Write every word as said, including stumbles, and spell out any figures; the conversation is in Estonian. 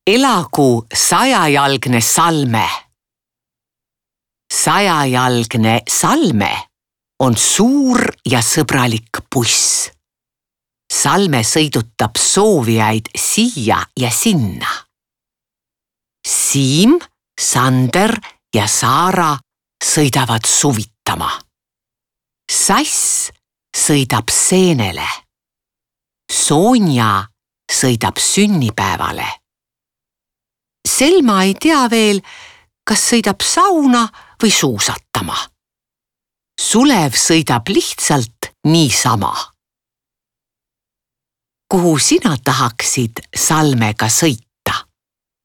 Elagu sajajalgne Salme. Sajajalgne Salme on suur ja sõbralik buss. Salme sõidutab soovijaid siia ja sinna. Siim, Sander ja Saara sõidavad suvitama. Sass sõidab seenele. Sonja sõidab sünnipäevale. Selma ei tea veel, kas sõidab sauna või suusatama. Sulev sõidab lihtsalt niisama. Kuhu sina tahaksid Salmega sõita?